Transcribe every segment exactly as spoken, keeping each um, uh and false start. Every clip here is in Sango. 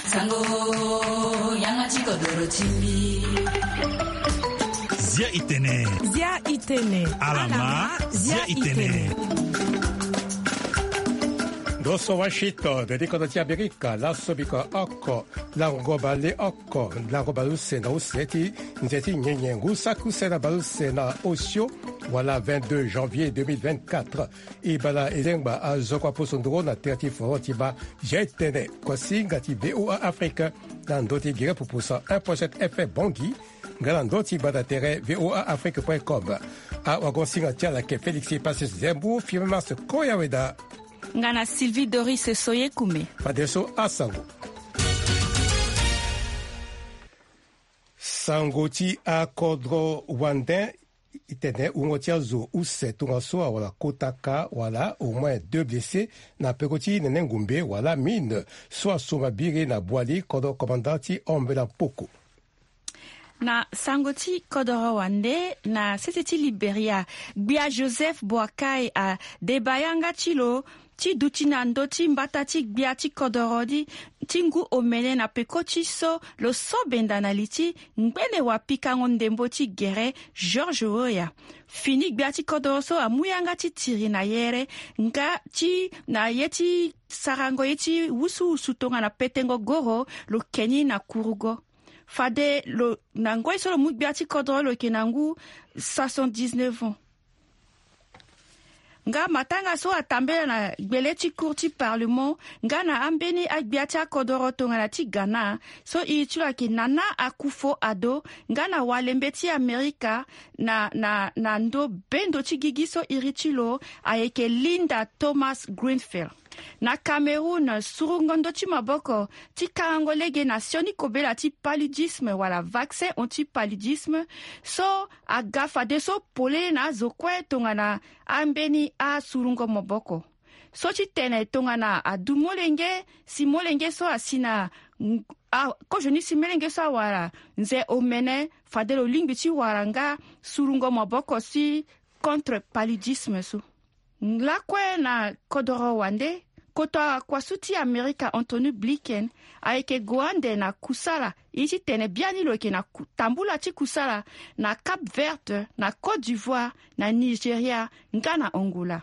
Sango, yanga ti kodoro ti mbi. Zia itene. Zia itene. Alama, zia itene. Ndo so Washington, dede kodro ti Amerika, laso biko oko, lango bale oko, lango bale use na use ti nze ti nyenye ngu saki use na bale use na osio, wala vingt-deux janvier deux mille vingt-quatre. E bala e lengba azo kua poso nduru na tere ti foro ti baa Zia itene, kuasinga ti V O A Afrique, na ndö ti gere pupusa un point sept F M Bangui, nga na ndö ti gbanda tere V O A Afrique point com. Awagosinga ti ala ayeke Félix Passy Zembu, Firmin Mars Koyaweda. Nga na Sylvie Doris Soyekume. Fadeso asango. Sango ti akodro wande. Itene wungo ti azo use tongaso awara kota ka wala au moins deux blessés na peko ti nene ngumbe wala mine so asomba biri na Boali, kodro commandant ti Ambela Mpoko. Na sango ti kodoro wande, na sese ti Liberia, gbia Joseph Boakai adeba yanga ti lo ti duti na ndö ti mbata ti gbia ti kodoro ni ti ngu omene na peko ti so lo so benda na li ti ngbene wapikango ndembo ti gere George Weah. Fini gbia ti kodoro so amu yanga ti tiri na yere nga ti na ye ti sarango ye ti wusuwusu tongana petengo goro, lo ke ni na kurugo. Fade lo na ngoi so lo mu gbia ti kodoro lo yeke na ngu soixante-dix-neuf ans. Nga matanga so atambela na gbele ti cour ti parlement nga na ambeni agbia ti akodoro tongana ti Ghana so iri ti lo ayeke Nana Akufo-Addo, nga na walembe ti Amerika na, na, na ndo bendo ti gigi so iri ti lo ayeke Linda Thomas-Greenfield. Na Cameroun, surungo ndö ti maboko ti karango lege na sioni kobela ti paludisme wala vaccin anti-paludisme so aga fadeso polele na azo kue tongana ambeni asurungo maboko. So ti tene tongana adu molenge, si molenge so asi na, a, kozoni si molenge so awara nze omene, fade lo lingbi ti wara nga surungo maboko si contre paludisme so. Lakue na kodoro wande, koto akuasu ti Amerika Antony Blinken ayeke gue ande na kusala, ye ti tene biani lo yeke na ku-, tambula ti kusala na Cap Vert, na Côte d'Ivoire, na Nigeria, nga na Angola.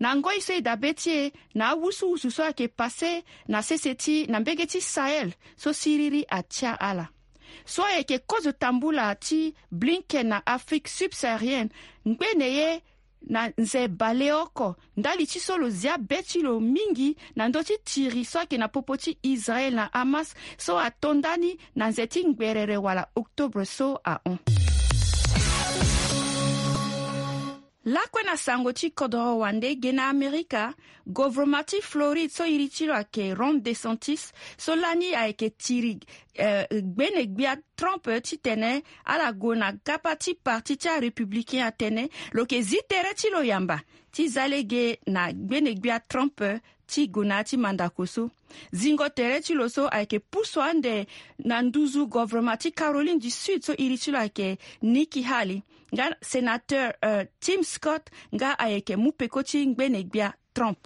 Na ngoi so e dabe ti e na awusuwusu so ayeke pase na sese ti na mbege ti Sahel so siriri atia ala. So ayeke kozo tambula ti Blinken na Afrique subsaharienne, ngbene ye na nze baleoko, ndali ti so lo zia be ti lo mingi na ndö ti tiri so ayeke na popo ti Israel na Hamas so ato ndani na nze ti ngberere wala octobre so ahon. Lakue na sango ti kodoro wande, ge na Amerika, govrema ti Floride so iri ti lo ayeke Ron DeSantis, so lani ayeke tiri, eh, gbene gbia Trump titene ala gue na gapa ti parti ti arépublicain atene lo yeke zi tere ti lo yamba ti za lege na gbene gbia Trump ti gue na ya ti mandako so. Zingo tere ti lo so ayeke pusu ande na nduzu govrema ti Caroline du Sud so iri ti lo ayeke Nikki Haley, nga sénateur, euh, Tim Scott nga ayeke mu peko ti ngbene gbia Trump.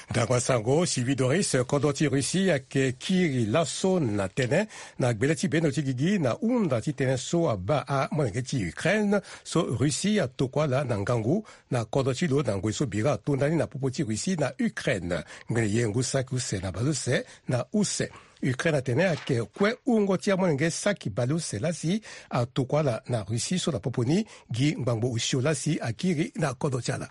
Ndango asango, Sylvie Doris, kodro ti Russie ayeke kiri laso na tënë na gbele ti bendo ti gigi na hunda ti tënë so abaa amolenge ti Ukraine so Russie atokua ala na ngangu na kodro ti lo na ngoi so bira ato ndani na popo ti Russie na Ukraine. Ngbene ye ngu saki use na baleuse na use, Ukraine atene ayeke kue wungo ti amolenge saki baleuse lasi atokua ala na Russie so na popo ni gi ngbangbo osio lasi akiri na kodro ti ala.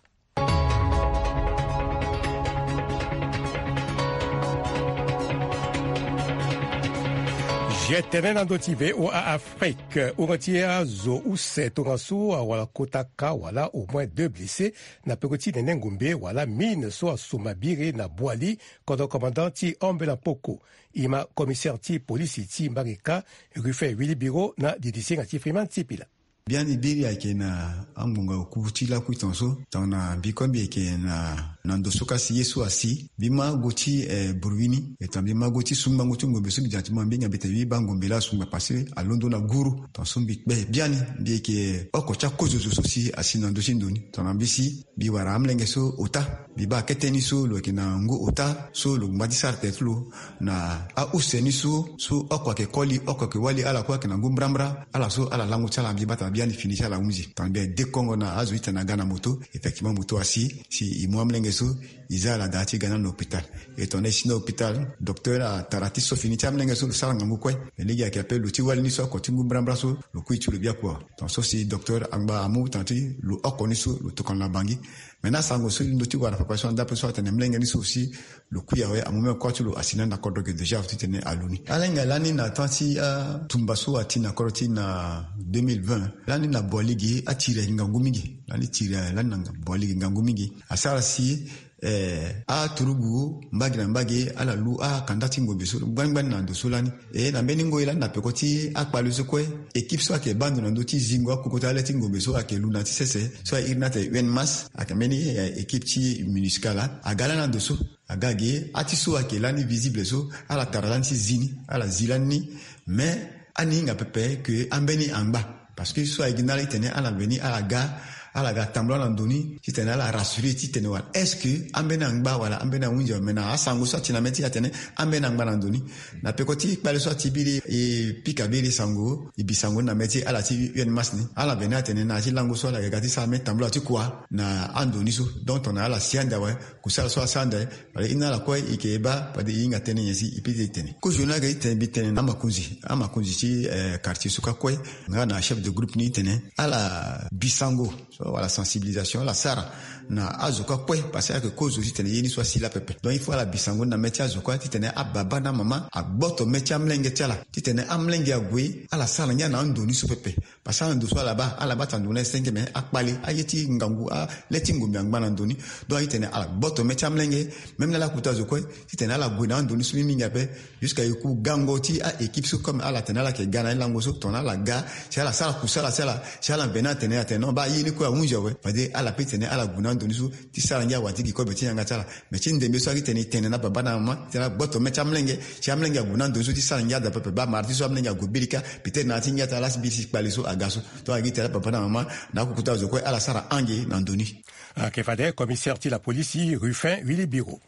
Zia tënë na ndö ti V O A Afrique. Wungo ti azo use tongaso awara kota ka wala au moins deux blessés na peko ti nene ngumbe wala mine so asomba biri na Boali, kodro commandant ti Ambela Mpoko. E ma commissaire ti polisi ti Mbarika, Ruffin Willy Biro, na didisinga ti Freeman Sipila. Biani biri ayeke na angbonga oku ti lakui tongaso, tongana mbi kue mbi yeke na Na ndo so ka si ye so asi, mbi ma go ti eh, bruit ni. E tongana mbi ma go ti sungbango ti ngombe so mbi dia ti mo, mbi hinga mbi tene mbi baa ngombe laa asungba parce que alondo na guru. Tongana so mbi kpe biani, mbi yeke oko ti akozo zo so si asi na ndö ti ndo ni. Tongana mbi si, mbi wara amolenge so ota. Mbi baa kete ni so lo yeke na ngu ota so lo ngba ti sara tere ti lo na ause ni so, so oko ayeke koli, oko ayeke wali, ala kue ayeke na ngu mbrambra. Ala so ala lango ti ala, mbi baa tongana biani fini ti ala ahunzi. Tongana mbi adekongo na azo ti tene aga na moto, effectivement moto asi, si e mu amolenge so, e za ala daa ti ga na hôpital. E tongana e si na hôpital, docteur atara ti so fini ti amolenge so lo sara ngangu kue. Me lege ayeke ape lo ti wali ni so oko ti ngu mbrambra so, lo kui ti lo biaku awe. Tongana so si docteur angba amu tongana ti lo oko ni so lo tokana na bangi. Maintenant asango so e londo ti wara papa so na ndape so atene molenge ni so aussi lo kui awe, amu même kua ti lo asi na ni na kodro ge déjà ti tene alu ni. Ala hinga lani na temps ti atumba so ati na kodro ti na deux mille vingt, lani na boaligi atiri ayeke ngangu mingi. Lani tiri lani na boaligi ngangu mingi. Asara si eh, aturugu mbage na mbage ala lu akanda ti ngombe so ngbani ngbani na ndo so lani. E na mbeni ngoi lani na peko ti akpale so kue, équipe so ayeke baa ndo na ndö ti zingo akoko ti ale ti ngombe so ayeke lu na ti sese so airi ni atene U N MAS, ayeke mbeni eh, équipe ti MINUSCA laa aga lani na ndo so. Aga ge ati so ayeke lani visible so ala tara lani ti zi ni, ala zi lani ni. Mais ani hinga pepe ke ambeni angba. Parce que so aye gi na ala ti tene ala veni ala ga, ala ga tambula na ndo ni ti tene ala rassurer ti tene wala est-ce que ambeni angba wala ambeni ahunzi awe? Mais na asango so ati na mê ti e atene ambeni angba na ndo ni. Na peko ti kpale so ati biri e pika biri sango, e bi sango ni na mê ti ala ti U N MAS ni, ala veni atene na ya ti lango so ala yeke ga ti sara mê tambula ti kua na ando ni so. Donc tongana ala si ande awe, kusala so asara ande awe, fade e na ala kue e yeke baa fade e hinga tënë nyen si e peut ti tene. Kozo ni ayeke ti tene mbi tene na amakonzi, amakonzi ti eh, quartier so kue, nga na chef de groupe ni tene ala bi sango so wala sensibilisation ala sara na azo kue, parce que ayeke kozo ti tene ye ni so asi laa pepe. Donc il faut ala bi sango ni na mê ti azo kue ti tene ababa na amama agboto mê ti amolenge ti ala ti tene amolenge ague ala sara ngia na ando ni so pepe. Parce que ala ndo so ala baa, ala baa tandon na senge me akpale aye ti ngangu, ale ti ngombe angba na ndo ni. Donc aye ti tene ala gboto mê ti amolenge, même na ala kota zo kue ti tene ala gue na ando ni so mingi mingi ape. Jusqu'à e ku gango ti a-équipe so comme ala tene ala yeke ga na ni lango so tongana ala ga si ala sara kusala ti ala, si ala mbe ni atene atene non baa ye ni kue ahunzi awe. Fade ala peut ti tene ala gue na ando ni so ti sara ngia awati gi kobe ti yanga ti ala. Mais ti ndembe so ayeke ti tene e tene na baba na mama ti tene ala gboto mê ti amolenge, si amolenge ague na ndo ni so ti sara ngia daa pepe baa mara ti so amolenge ague biri kâ. Peut-être na ya ti ngia ti ala si biri si kpale so aga so. Tongana gi tene ala papa na mama na akokota zo kue ala sara ange na ndo ni. Ayeke fade commissaire ti la police Ruffin Willy Biro.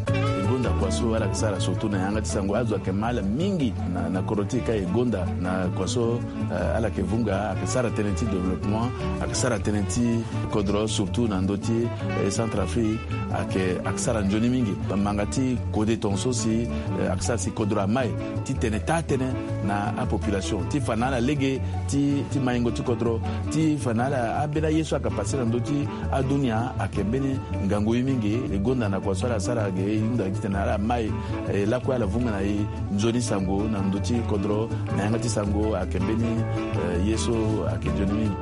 E gonda kua so ala yeke sara surtout na yanga ti sango azo ayeke ma ala mingi na, na kodro ti e ka e gonda na kua so, eh, ala yeke vunga ayeke sara tënë ti développement, ayeke sara tënë ti kodro surtout na ndö ti eh, Centrafrique. Ayeke, ayeke sara nzoni mingi. Manga ti kode tongaso si, eh, ayeke sara si kodro amai ti tene taa tënë na apopulation ti fa na ala lege ti, ti maingo ti kodro, ti fa na ala ambeni aye so ayeke pase na ndö ti adunia ayeke mbeni ngangu ye mingi. E gonda na kua so ala sara ge e hunda ti tene ala mai, eh, lakue ala vunga na e nzoni sango na ndö ti kodro na yanga ti sango ayeke mbeni, eh, ye so ayeke nzoni mingi.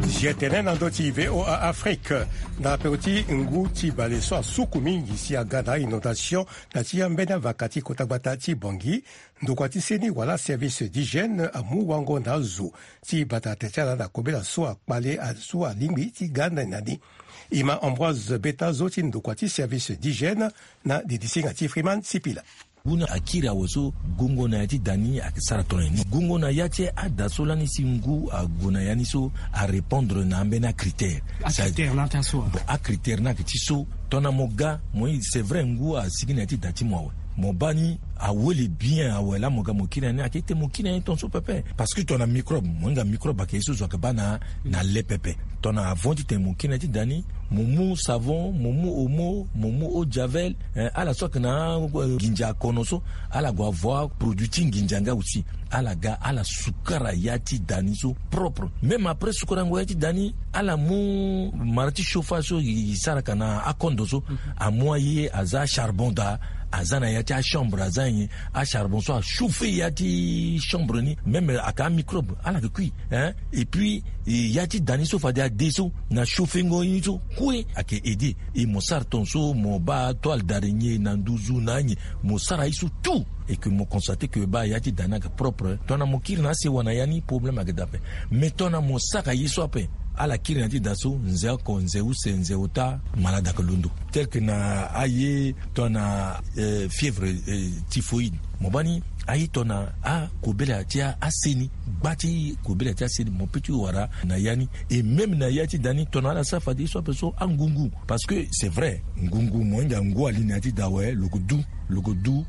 Zi tene na ndö ti V O A Afrique, na peko ti ngu ti bale so asuku mingi si aga na inondation na ti ambeni avaka ti kota gbata ti Bangui, ndokua ti seni wala service d'hygiène amu wango na azo ti bata tene ti ala na kobela so akpale, so alingbi ti ga ndani na ni. E ma Ambroise Beta zo ti ndokua ti service d'hygiène na didisinga ti Freeman Sipila. Ngu ni akiri awe so gongo na ya ti da ni ayeke sara tongana nyen? Gongo na ya ti ada so lani si ngu ague na ya ni so arépondre na ambeni acritère. Acritère ni ayeke ti so? Bon, acritère ni ayeke ti so, tongana mo ga mo, c'est vrai ngu asigi na ya ti da ti mo awe, mo baa ni awele bien awe laa mo ga mo kiri na ni, ayeke ti tene mo kiri na ni tongaso pepe. Parce que tongana microbe, mo hinga microbe ayeke ye so zo ayeke baa na, na le pepe. Tongana avant ti tene mo kiri na ya ti da ni, mo mu savon, mo mu omo, mo mu eau de javel, eh, ala so ayeke na, eh, nginza kono so, ala gue avo aproduit ti nginza nga aussi. Ala ga ala sukara ya ti da ni so propre. Même après sukarango ya ti da ni, ala mu mara ti chauffage so e saraka na akondo so, amu aye aza acharbon daa, aza na ya ti achambre, aza nyen, acharbon so achauffer ya ti chambre ni, même ayeke amicrobe ala yeke kui, hein. Et puis, eh, ya ti da ni so fade ade so na chauffengo ye ni so kue ayeke aider. E mo sara tongaso mo baa toile d'araignée na nduzu na anyen, mo sara ye so tout. Et que mo constate que baa ya ti da ni ayeke propre, tongana mo kiri na asewa na ya ni problème ayeke daa ape. Mais tongana mo sara ye so ape, ala kiri na ya ti da so nze oko, nze use, nze ota, malade ayeke londo. Tel que na aye tongana fièvre typhoïde, mo baa ni aye tongana akobela ti ase ni, gba ti kobela ti ase ni mo pe ti wara na ya ni. Et même na ya ti da ni tongana ala sara fade ye so ape so angungu. Parce que c'est vrai, ngungu mo hinga ngu ali na ya ti da awe, lo ke du, lo ke du.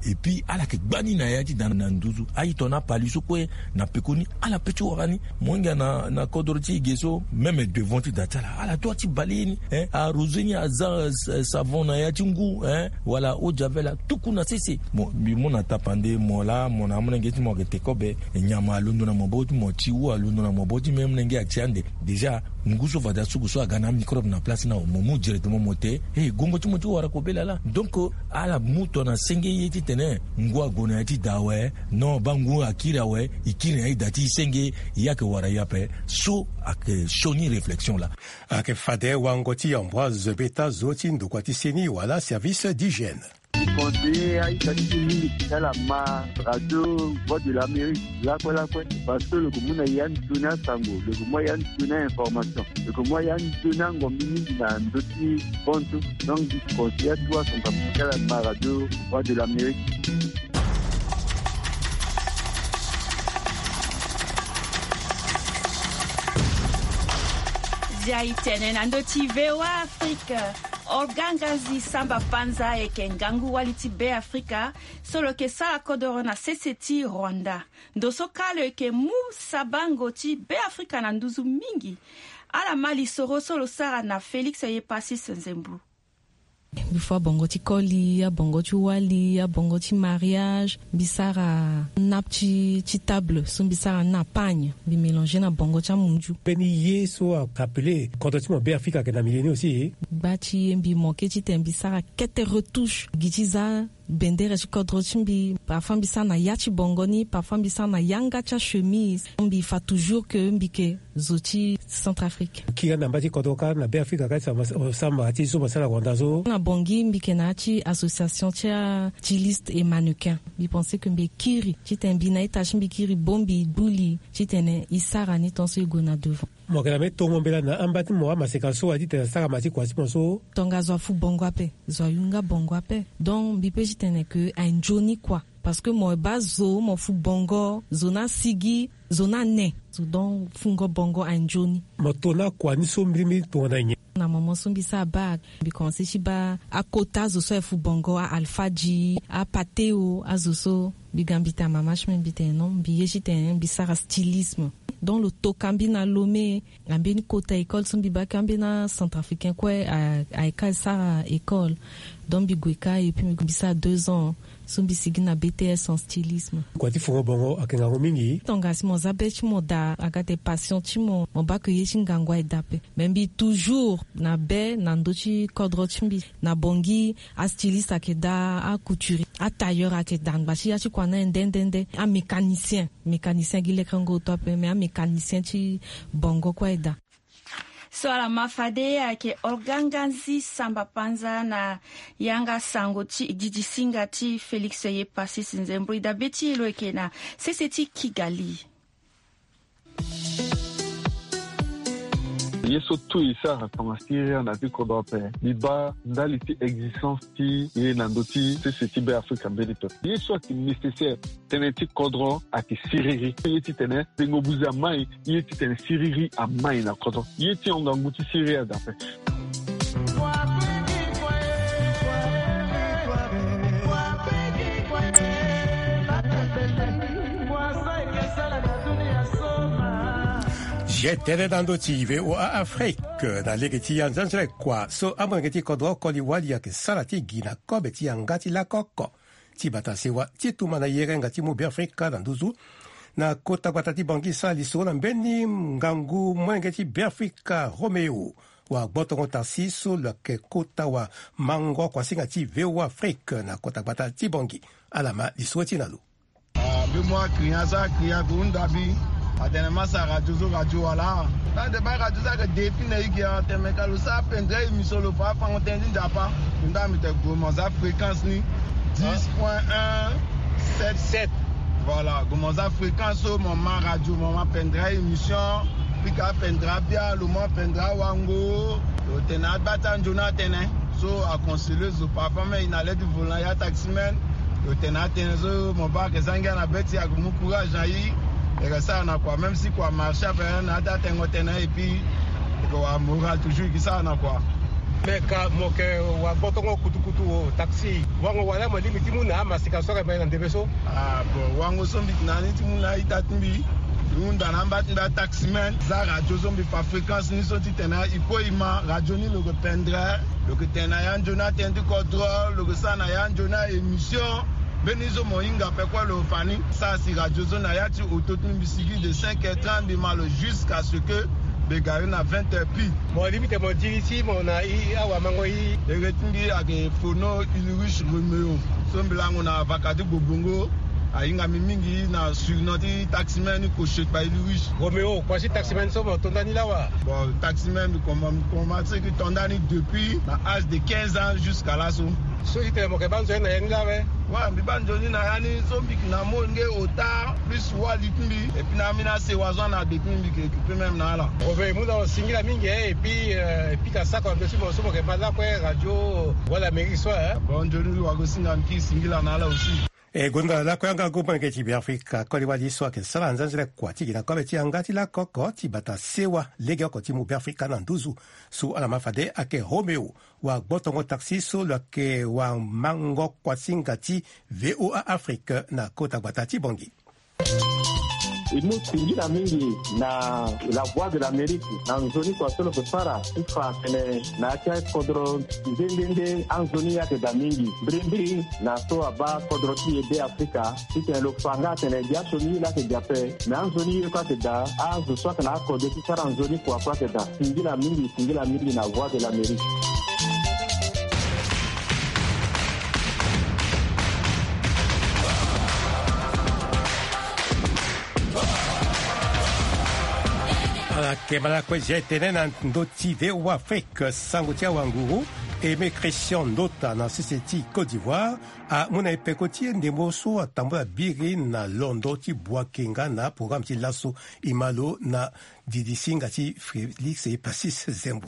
Et puis ala yeke gba ni na ya ti da na nduzu. Aye tongana apali so kue na pekoni, ala pe ti wara ni. Mo hinga na kodro ti e ge so, même devant ti da ti ala, ala dua ti bale ye ni. Arose ni, aza savon na ya ti ngu, wala eau de javel, atuku na sese. Bon, mbi mu na tapande mo laa, mo na amolenge ti mo ayeke te kobe. Nyama alondo na maboko ti mo, ti wu alondo na maboko ti mo, amolenge ati ande. Déjà ngu so fade asuku so aga na amicrobe na place ni awe, mo mu directement mo te. He, gongo ti mo ti wara kobela laa. Donc ala mu tongana senge ye titene ngu ague na ya ti da awe. Non, baa ngu akiri awe, e kiri na ya ti da ti e senge, e yeke wara ye ape. So ayeke sioni réflexion laa. Ayeke fade wango ti Ambroise Beta, zo ti ndokua ti seni wala service d'hygiène. Ti conseiller a-ita ti e mingi ti ala ma radio Voix de l'Amérique lakue lakue, parce que lo ke mu na e ande sioni asango, lo ke mu na e ande sioni a-information, lo ke mu na e ande sioni angombi mingi na ndö ti bantu. Donc ti conseiller atu asango ape ti ala ma radio Voix de l'Amérique. Dia itene na ndö ti V O A Afrique. Olga Nganzi Samba Panza ayeke ngangu wali ti Beafrika so lo yeke sara kodoro na sese ti Rwanda. Ndo so kâ lo yeke mu sabango ti Beafrika na nduzu mingi. Ala ma lisoro so lo sara na Félix Yepasis Nzembou. Mbi fâ abongo ti koli, abongo ti wali, abongo ti mariage. Mbi sara nappe ti, ti table so mbi sara na pagne, mbi mélanger na bongo ti amunzu. Mbeni ye so ayeke appelé kodro ti mo Beafrika ayeke na milieu ni aussi. Gba ti ye mbi manqué titene mbi sara kete retouche gi ti za bendere ti kodro ti mbi. Parfois mbi sara na ya ti bongo ni, parfois mbi sara na yanga ti achemise. Mbi fâ toujours que mbi yeke zo ti Centrafrique. Kiri na mba ti kodro kâ na Beafrika kâ ti samba, samba ti so mo sara na Rwanda so. Na Bangui mbi yeke na ya ti association ti astyliste et mannequin. Mbi pensé que mbi kiri titene mbi na ita ti mbi kiri bongbi gbu li titene e sara ni tant so e gue na devant. Mo yeke na mbeni tongo mbela na amba ti mo amaseka so aye titene asara ma ti kua ti mo so. Tongaso afu bongo ape, zo ayunga bongo ape. Donc mbi pe titene que aye nzoni kua. Parce que mo baa zo, mo fu bongo, zo ni asigi, zo ni ane. Zo donc fungo bongo aye nzoni. Mo to na kua ni so mbirimbiri tongana nyen? Na moment so mbi sara bac, mbi commencé ti baa akota azo so aye fu bongo, a-alfadji, apateo, azo so. Mbi ga mbi tene mama ti mbi, mbi tene non, mbi ye titene mbi sara stylisme. Donc lo toka mbi na Lomé. Na mbeni kota école so mbi baa kue, ambeni acentrafricain kue aye kâ sara école. Donc mbi gue kâ et puis mbi sara deux ans so mbi sigi na B T S en stylisme. Kua ti fungo bongo ayeke ngangu mingi. Tongana si mo za be ti mo daa, aga tene passion ti mo, mo baa ke ye ti ngangu aye daa ape. Mais mbi toujours na be na ndö ti kodro ti mbi. Na Bangui, astyliste ayeke daa, acouturier, atailleur ayeke daa, angba ti ya ti kua ni aye nde nde nde. Amécanicien, mécanicien gi lekerengo oto ape, mais amécanicien ti bongo kue aye daa. So ala ma fade ayeke Olga Nganzi Samba Panza na yanga sango ti didi singa ti Félix Yepasis Nzembou. E daa be ti e lo yeke na sese ti Kigali. Ye so tout e sara tongana siriri na ya ti kodro ape, mbi baa ndali ti existence ti e na ndö ti sese ti Beafrika mbeni pepe. Ye so ayeke nécessaire tënë ti kodro ayeke siriri. Ye titene tengo buze amai, ye titene siriri amai na kodro. Ye ti hon ngangu ti siriri ada ape. Zia tënë na ndö ti V O A Afrique na lege ti anzanzara kua so amolenge ti kodro oko li wali ayeke sara ti gi na kobe ti yanga ti lako oko ti bata sewa ti tuma na yerenga ti mu Beafrika na nduzu. Na kota gbata ti Bangui sara lisoro na mbeni ngangu molenge ti Beafrika Roméo wa Gbotongo Tarsis so lo yeke kota wa mango kuasinga ti V O A Afrique na kota gbata ti Bangui. Ala ma lisoro ti e na lo. Ah, mbi mu aclient so aclient ague hunda mbi. Atene mbi sara radio so radio wala. Tande baa radio so ayeke depuis na e gi atene meka lo sara pendere émission lo fa afango tënë ti Nzapa. Hunda mbi tene gue mo za fréquence ni. Dix point un sept. Voilà, gue mo za fréquence so mo ma radio, mo ma pendere émission. Pika pendere abia, lo ma pendere awango. Lo tene abata nzoni atene. So a conseiller zo parfois même il na l'aide volant ya taximan. Lo tene atene so mo ba ke zangia na beti a gue mu courage na i. E ke sara na quoi, même si quoi marché après na ata tengo tene et puis e ke wa moral toujours ki sara na quoi. Mais ka mo ke wa botongo kutukutu o taxi. Wango wala mo limi ti mu na masika so ka mai na ndebe so. Ah bon, wango so mbi na ni ti mu na ita ti mbi. Hunda na mba ti mbi a taximan. Za radio so mbi fa fréquence ni so ti tene i ko i ma radio ni lo ke pendere. Lo ke tene na ya nzoni atene ti kodro, lo ke sara na ya nzoni a émission. Mbeni so mo hinga pe kue lo fa ni. Sara si radio so na ya ti oto ti mbi, mbi sigi de cinq heures trente mbi ma lo jusqu'à ce que mbi gari na vingt heures pile. Mo limi te mo diri si mo na i awamango i. Ere ti mbi ayeke Fono Ulrich Romeo. So mbi lango na vaka ti Gbobongo. Ahinga mbi mingi na surnom ti taximan ni Koshekpa Ulrich. Romeo, kua si taximan so mo to ndani lawa? Bon, taximan mbi koma, mbi koma ti ki to ndani depuis na âge de quinze ans jusqu'à laso. So ti tene mo ke ba nzoni na ya ni lawe? Wa, mbi ba nzoni na ya ni so mbi ke na mo nge ota plus wali ti mbi. Et puis na mbi na sewa so ana de ti mbi, mbi ke occuper même na ala. Romeo, e mu na lo singila mingi, eh, et puis, euh, et puis ka sako ando si mo so mo ke ma lakue radio wala mairie so, eh. Bon, nzoni wago singa mbi ki singila na ala aussi. E gonda lakue yanga gu molenge ti Beafrika koli wali so ayeke sara nzanzele kua ti gi na kobe ti yanga ti lako oko ti bata sewa legeoko ti mu Beafrika na nduzu. So ala ma fade ayeke Romeo, wa gbotongo taxi so lo yeke wa mango kuasinga ti V O A Afrique na kota gbata ti Bangui. E mu singila mingi na La Voix de l'Amérique na nzoni kua so lo ke sara ti fa atene na ya ti akodro nde nde nde anzoni ayeke daa mingi. Mbirimbiri na so abaa kodro ti e Beafrika titene lo fa nga atene gi asioni ye laa ayeke gi ape. Me anzoni ye kue ayeke daa, azo so ayeke na akode ti sara nzoni kua kue ayeke daa. Singila mingi, singila mingi na Voix de l'Amérique. Ala yeke ma lakue zia e tene na ndö ti V O A Afrique, sango ti awanguru Aimé Christian Ndota na sese ti Côte d'Ivoire amu na e peko ti e ndembo so atambula biri na londo ti Bouaké nga na programme ti laso. E ma lo na didisinga ti Félix Passis Zembo.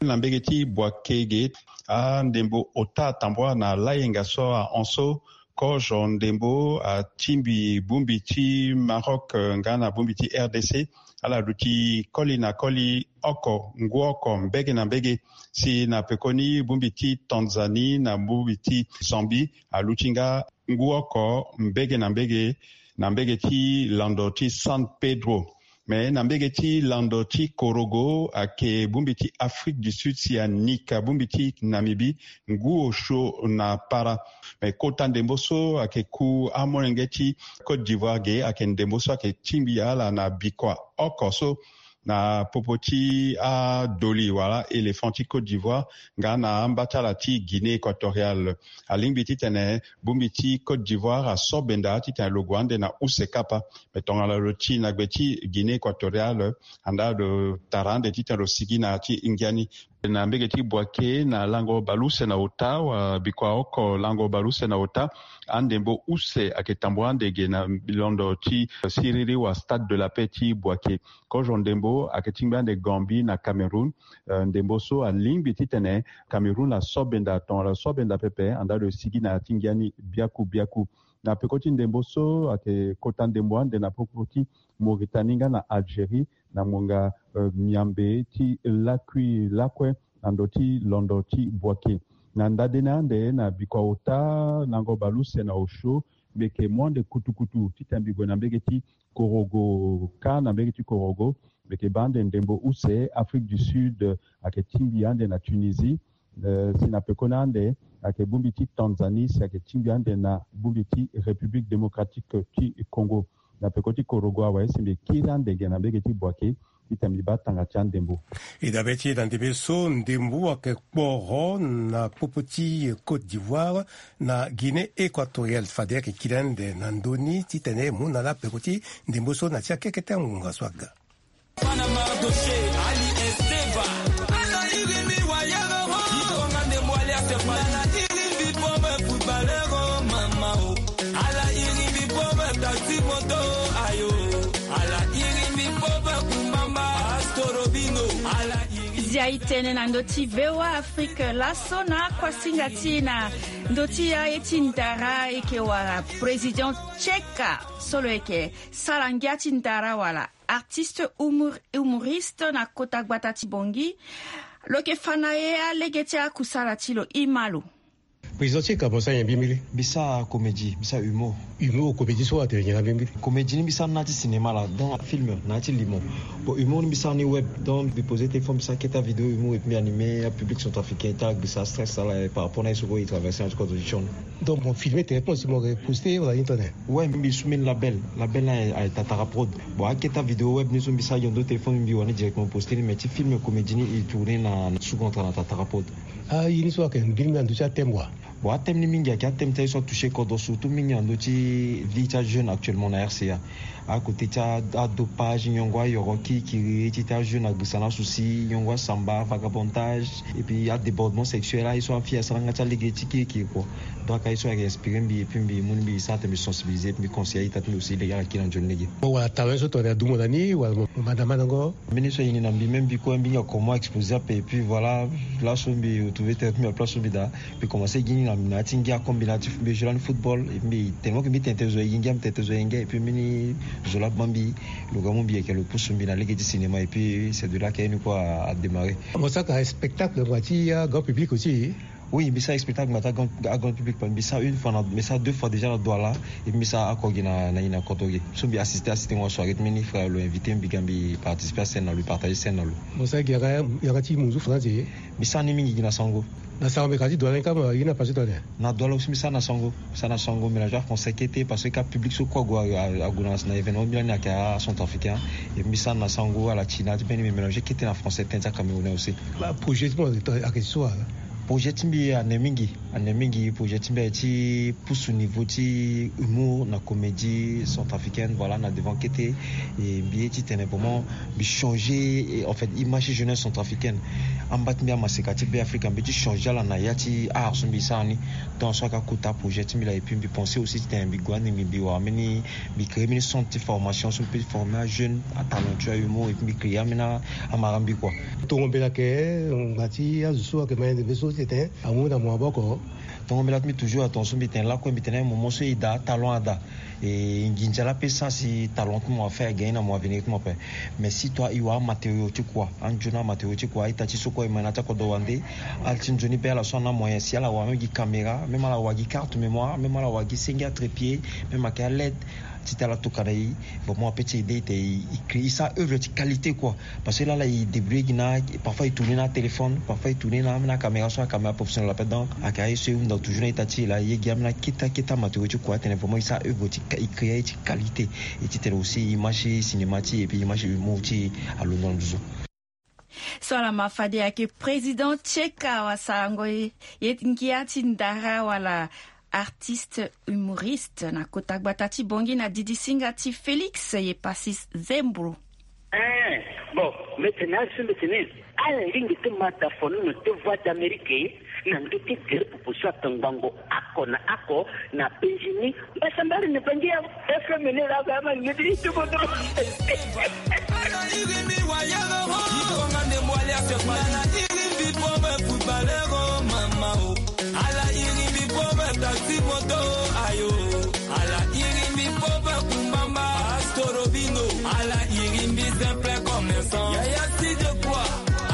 Na mbege ti Bouaké ge, andembo ota atambua na layenga so ahon so. Kozo ndembo atingbi bongbi ti Maroc, eh, nga na bongbi ti R D C. Ala luti koli na koli oko, ngu oko mbege na mbege. Si na pekoni bongbi ti Tanzanie na bongbi ti Zambie aluti nga ngu oko mbege na mbege, na mbege ti lando ti San Pedro. Me na mbege ti lando ti Korogo ayeke bongbi ti Afrique du Sud si anika bongbi ti Namibie ngu osio na para. Me kota ndembo so ayeke ku amolenge ti Côte d'Ivoire ge ayeke ndembo so ayeke tingbi ala na bikua oko so na popo ti adoli wala éléphant ti Côte d'Ivoire nga na amba ti ala ti Guinée équatoriale. Alingbi titene bongbi ti Côte d'Ivoire aso benda titene lo gue ande na use kapa. Me tongana lo ti na gbe ti Guinée équatoriale, andaa lo tara ande titene lo sigi na ya ti ngiani. Na mbege ti Bouaké na lango baleuse na ota, wa bikua oko lango baleuse na ota, andembo use ayeke tambula ande ge na londo ti siriri wa Stade de la Paix ti Bouaké. Kozo ndembo ayeke tingbi ande Gambie na Cameroun. Eh, ndembo so alingbi titene Cameroun aso benda, tongana lo so benda pepe, andaa lo sigi na ya ti ngiani biaku biaku. Na peko ti ndembo so ayeke kota ndembo ande na popo ti Mauritanie nga na Algérie, na ngonga, eh, miambe ti lakui lakue na ndo ti londo ti Bouaké. Na ndadene ande na bikua ota lango baleuse na osio, mbi yeke mu ande kutukutu titene mbi gue na mbege ti Korogo. Ka na mbege ti Korogo, mbi yeke baa ande ndembo use Afrique du Sud, eh, ayeke tingbi ande na Tunisie. Eh, si na pekoni ande ayeke bongbi ti Tanzanie, si ayeke tingbi ande na bongbi ti République Démocratique ti Congo. Na peko ti Korogo awe, si mbi kiri ande ge na mbege ti Bouaké titene mbi baa tanga ti andembo. E dabe ti e na ndembe so, ndembo ayeke kporo na popo ti Côte d'Ivoire na Guinée équatoriale. Fade ayeke kiri ande na ndö ni titene e mu na ala peko ti ndembo so na ti akekete ngonga so aga. Bana Mardoché, Ali Esteva. Ala iri mbi wayere ho. Ikonga ndembo alias Fally. Ala iri mbi pauvre footballeur ho. Pauvre taxi moto, ayo. Ala iri mbi pauvre kumbamba, astorobino. Ala iri. Zia e tene na ndö ti V O A Afrique laso na akuasinga ti e na ndö ti aye ti ndara, e yeke wara président Tcheka so lo yeke sara ngia ti ndara wala artiste humor-, humoriste na kota gbata ti Bangui. Lo yeke fa na e alege ti akusala ti lo. E ma lo. Président Tcheka, mo sara nyen mbi mbili? Mbi sara comédie, mbi sara humour. Humour, comédie so atene nyen na mbi mbili? Comédie ni mbi sara na ya ti cinéma la, donc film na ya ti limo. Bon, humour ni mbi sara ni web, donc mbi poser téléphone, mbi sara kete avidéo humour et puis mbi animer apublic centrafricain ti ala gbisa stress ala par rapport na ye so kue e traverser na ti kodro ti sioni. Donc mo filmer directement si mo poster wala ni tene? Ouais, mbi su mbeni label, label na aye Tatara Prod. Bon, akete avidéo web ni so mbi sara gi na ndo téléphone, mbi wani directement poster ni, mais ti film comédie ni e tourner na, na Second Tra na Tatara Prod. Ah, ye ni so ayeke mbeni na ndö ti athème wa? Bon, athème ni mingi ayeke athème ti aye so atoucher kodro, surtout mingi na ndö ti vie ti ajeune actuellement na R C A. Akote ti a, adopage, nyongo ayoro kirikiri ti, ti ajeune agrisa na souci, nyongo asamba, vagabondage, et puis adébordement sexuel, aye so afille asara nga ti alege ti kirikiri kua. Donc aye so ayeke inspiré mbi, et puis mbi mu ni mbi sara tene mbi sensibiliser, et puis mbi conseiller aita ti mbi aussi lege ala kiri na nzoni lege. Bon, wala talent so tongana adumu na ni wala mo, mo mandamandango? Mbeni so e ni na mbi, même mbi kue mbi hinga comment exposer ape, et puis voilà, laso mbi retrouver tene mbi na place so mbi daa, mbi commencer gi ni na, na ya ti ngia comme mbi na ya ti mbi joue lani football, et mbi tellement que mbi tene tene zo e gi ngia, mbi tene tene zo e gi ngia, et puis mbeni zo laa baa mbi, lo ga mu mbi yeke lo pusu mbi na lege ti cinéma, et puis c'est de là que ye ni kue a, a démarrer. Mo saka spectacle mo ti grand public aussi? Oui, mbi sara spectacle mbi ataa grand, a grand public, mbi sara une fois na, mbi sara deux fois déjà na Douala, et mbi sara oko gi na, na, na Kotoge. So mbi assister, assister ngo soirée ti mbeni frère lo invité mbi ga mbi participer a scène na lo, partager scène na lo. Mo sara gi yanga, yanga ti munzu français? Mbi sara ni mingi gi na Sango. Na Sango mbi ka ti Douala ni kâ, ma ye ni apassé tongana nyen? Na Douala aussi mbi sara na Sango. Mbi sara na Sango, mélange français kete parce que kâ public so kue ague, a, ague na, na événement mbi lani ayeke acentrafricain. Et mbi sara na Sango, ala ti na ti mbeni mbi mélanger kete na français, tënë ti acamerounais aussi. Ba projet ti mo ayeke so wala? Projet ti mbi ane mingi, ane mingi. Projet ti mbi aye ti pusu niveau ti humour na comédie centrafricaine, voilà, na devant kete. Et mbi ye ti tene vraiment mbi changer, et en fait, image ti jeunesse centrafricaine. Amba ti mbi amaseka ti Beafrika, mbi ye ti changer ala na ya ti art so mbi sara ni. Donc so ayeke akota projet ti mbi laa, et puis mbi penser aussi ti tene mbi gue ande mbi, mbi wara mbeni, mbi créer mbeni centre ti formation so mbi peut former ajeune, atalentueux, ahumour, et puis mbi créer ambeni amara mbi kua. Tongo mbela ayeke ngbanga ti azo so ayeke ma yende be so ti tene amu na mo maboko. Tongo mbela ti mbi toujours atonga so mbi tene lakue, mbi tene moment so e daa, talent ada. E nginza laa peut sara si talent ti mo afa e gagner na mo avenir ti mo ape. Mais si toi e wara amatériau ti kua, anzoni amatériau ti kua, a-ita ti so kue e ma na ya ti akodro wande. Ala ti nzoni be ala so ana amoyen si ala wara même gi caméra, même ala wara gi carte mémoire, même ala wara gi senge atrépied, même ayeke aled. Ti tene ala tokua na e, vraiment apeut ti aider e tene e, e créer, e sara œuvre ti qualité kua. Parce que lala e débrouiller gi na, parfois e tourner na atéléphone, parfois e tourner na, na caméra so acaméra professionnel ape. Donc ayeke aye so e hunda toujours na ita ti e laa, e ye gi ambeni akete akete amatériau ti kua, atene vraiment e sara œuvre ti, e créer ti qualité. Et ti tene aussi image ti cinéma ti e, et puis image ti humour ti e alondo na nduzu. So ala ma fade ayeke président Tcheka, wasarango ye, ye ngia ti ndara wala artiste humoriste na kota gbata ti Bangui na didisinga ti Félix Yepacis Zembro. Eh, bon, mbi tene azo so mbi tene ala lingbi ti ma dafono na te Voix d'Amérique na ndö ti gere popo so atongbango oko na oko na penzi ni. Mbasambari ni bangi ya F M ni la ba ma ngedi ti bodo. Ala iri mbi pauvre footballeur, oh, mama, oh. Ala iri mbi pauvre taxi moto, ayo. Ala iri mbi pauvre kumbamba, astorobino. Ala iri mbi simple commerçant. Yaya si de quoi?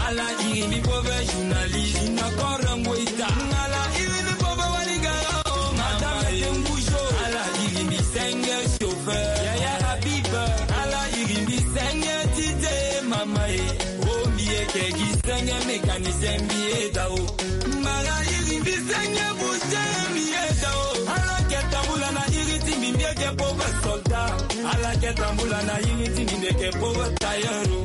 Ala iri mbi pauvre journaliste, na korongo ita. Ala iri mbi pauvre waligara, oh, madame Tengujo. Ala iri mbi senge chauffeur. Yaya Habib. Ala iri mbi senge tite, mama e. Oh, mbi yeke gi senge mécanicien mbi eda o. Mbara iri mbi senge boucher mbi eda o. Ala yeke tambula na iri ti mbi, mbi yeke pauvre soldat. Ala yeke tambula na iri ti mbi, mbi yeke pauvre tailleur o.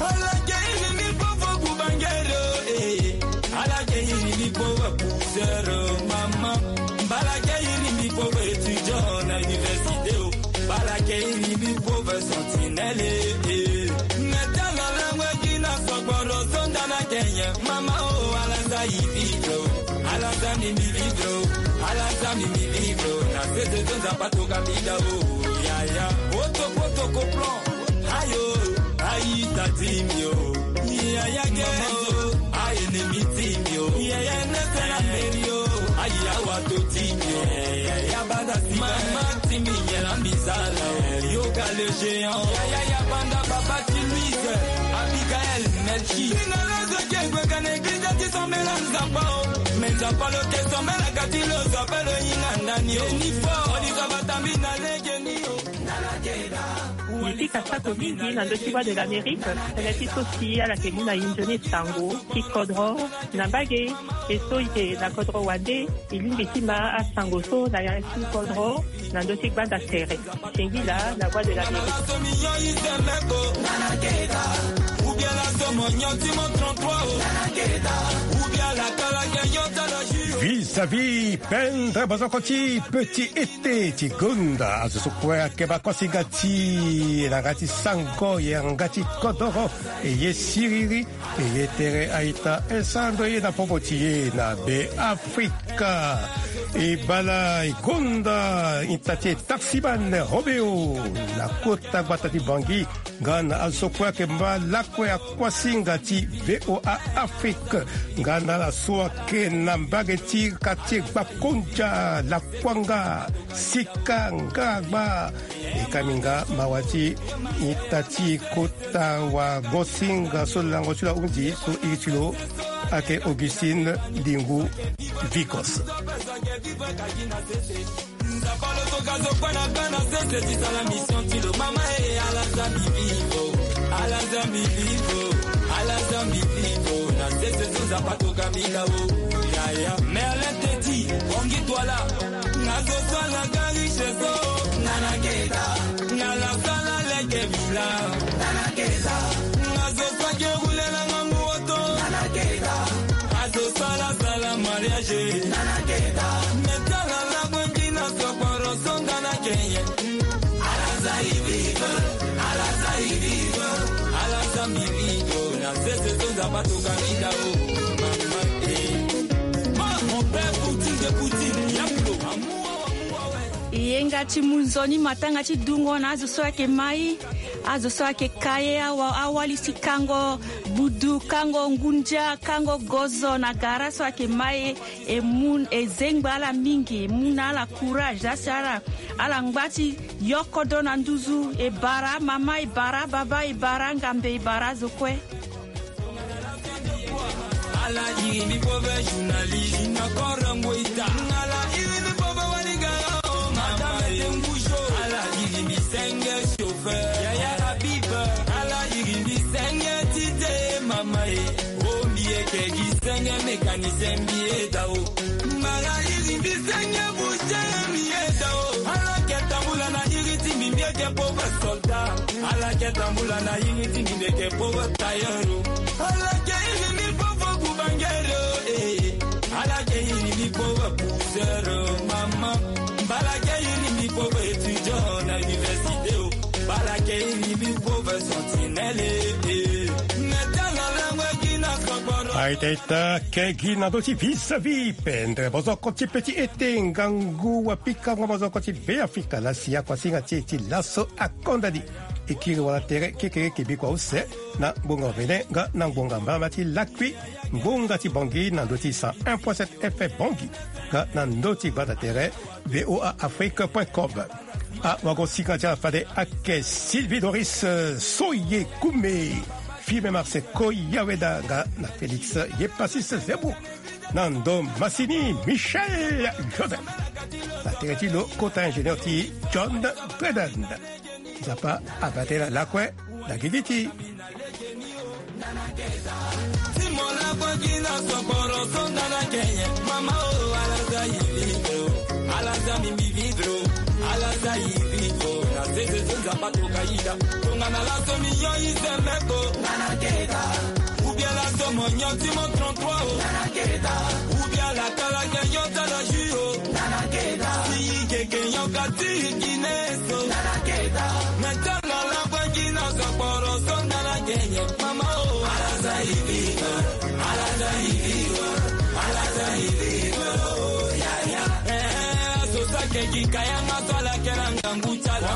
Ala yeke iri mbi pauvre boubangere o, eh. Ala yeke iri mbi pauvre pousseur o, mama. Mbala yeke iri mbi pauvre étudiant na université o. Mbala yeke iri mbi pauvre sentinelle, eh, eh. Mais tala langue gi na sogboro zonda na Kenya. Mama o, ala za i vivre o. Ala za mbi mbi vivre o. Ala za mbi mbi vivre o. Na sese zonza pato ga mbi da o. Ayo, ayi tati mi o. Yaya gere o. Ayi enemi ti mi o. Yaya nese na meri o. Ayi awa to ti mi o. Yaya banda si mama ti mi yela mbizala o. Yoga le géant. Yaya ya banda baba ti Louise. Abigail Melchi. Ina la zo ke gwe kana eglise ti sombela nzapa o. Me nzapa lo ke sombela kati lo zo ape lo hinga ndani o. Ni fo. Oni zo batambi na lege ni o. Ye pika sako mingi na ndö ti Voix de l'Amérique, tënë ti so si ala yeke mu na e nzoni sango ti kodro na mbage. E so e yeke na kodro wande, e lingbi ti ma asango so na ya ti kodro na ndö ti gbanda tere. Singila na Voix de l'Amérique. Vis-à-vis pendre bozoko ti petit été ti gonda azo so kue ayeke baa kosinga ti e na yanga ti sango, yanga ti kodoro, e ye siriri, e ye tere a-ita, e sara ndo ye na popo ti e na Be Afrika. E bala e gonda ita ti e Taximan Robeo na kota gbata ti Bangui, nga na azo so kue ayeke baa lakue akuasinga ti V O A Afrique, nga na ala so ayeke na mbage ti quartier Gbakondia, Lakuanga, Sika, Ngaragba. E ka minga mawa ti ita ti kota wagosinga so lango ti lo ahunzi so iri ti lo ayeke Augustine Lingu Vicos. Nzapa lo toka zo kue na bana sese ti sala mission ti lo mama e. Ala za mi vivo, ala za mi vivo, ala za mi vivo. Na sese so nzapa toka mi la o. Yaya Merlin Teti, Bongi Douala. Nga zo so ala ga riche so. Nga na keda. Nga la sala lege villa. Nga na keda. Nga zo so ake roule na ngangu oto. Nga na keda. Azo sala sala mariage. Nga na keda. Me tala la bwe ki na sokporo so nga na kenye. Ala za ivigo, ala za ivigo, ala za mivigo. Na sese so nzapa toka mi la o. Mama eh. Ma, mon père Poutine de Poutine, Yaplo. Amour, amour, ouais. Yenga ti mu nzoni matanga ti dungo na azo so ayeke mai. Azo so ayeke ka ye awa, awali si kango budu, kango ngundia, kango gozo na gara so ayeke mai. E mu, e zengba ala mingi, e mu na ala courage, asi ala, ala ngba ti yoko do na nduzu. E bara amama, e bara ababa, e bara angambe, e bara azo kue. Ala iri mbi pove journaliste na koro ngoi ta. Ala iri mbi pove waligara o mama e. Ala iri mbi senge chauffeur. Yaya Habib. Ala iri mbi senge tite mama e. O mbi yeke gi senge mécanicien mbi yeda o. Mbara iri mbi senge boucher mbi yeda o. Ala ke tambula na iri ti mbi mbi yeke pauvre soldat. Ala ke tambula na iri ti mbi mbi yeke pauvre tailleur o. Ala ke iri mbi pauvre boubangere o eh. Ala ke iri mbi pauvre pousseur o mama. Mbala ke iri mbi pauvre étudiant na université o. Mbala ke iri mbi pauvre sentinelle eh. Me tala langue gi na sokporo. Aita ita ke gi na ndö ti vis-à-vis pendre bozoko ti petit été ngangu wa pika ngbonga bozoko ti Be Afrika la si akuasinga ti e ti laso akonda ni. E kiri wala tere kekereke bikua use na ngbonga Bénin nga na ngbonga mbama ti lakui ngbonga ti Bangui na ndö ti cent un point sept F M Bangui nga na ndö ti gbanda tere V O A Afrique point com. Awagosinga ti ala fade ayeke Sylvie Doris, euh, Soye Kume, Firme Marse Koyaweda nga na Félix Yepasis Zebo. Na ndo masini Michel Joseph. Na tere ti lo kota ingénieur ti John Breden. Nzapa abate na lakue na gigi ti. Ti mo lakue gi na sokporo so nga na kenye. Mama o, ala za yi vivre o. Ala za mi mbi vivre o. Ala za yi vivre o. Na sese so nzapa toka yida. Tongana laso mi nyon yi zemeko. Nga na keda. Ou bien laso mo nyon ti mo trente-trois o. Nga na keda. Ou bien la kala ke nyon tala jus o. Nga na keda. Ti yi keke nyon ka ti yi kine so. Nga na keda. Me tala la bwe gi na sokporo so nga na kenye. Mama o. Ala za yi vivre. Ala za yi vivre. Ala za yi vivre o. Ya, ya. Eh, so sa ke gi kayanga so ala ke na ngangu ti ala.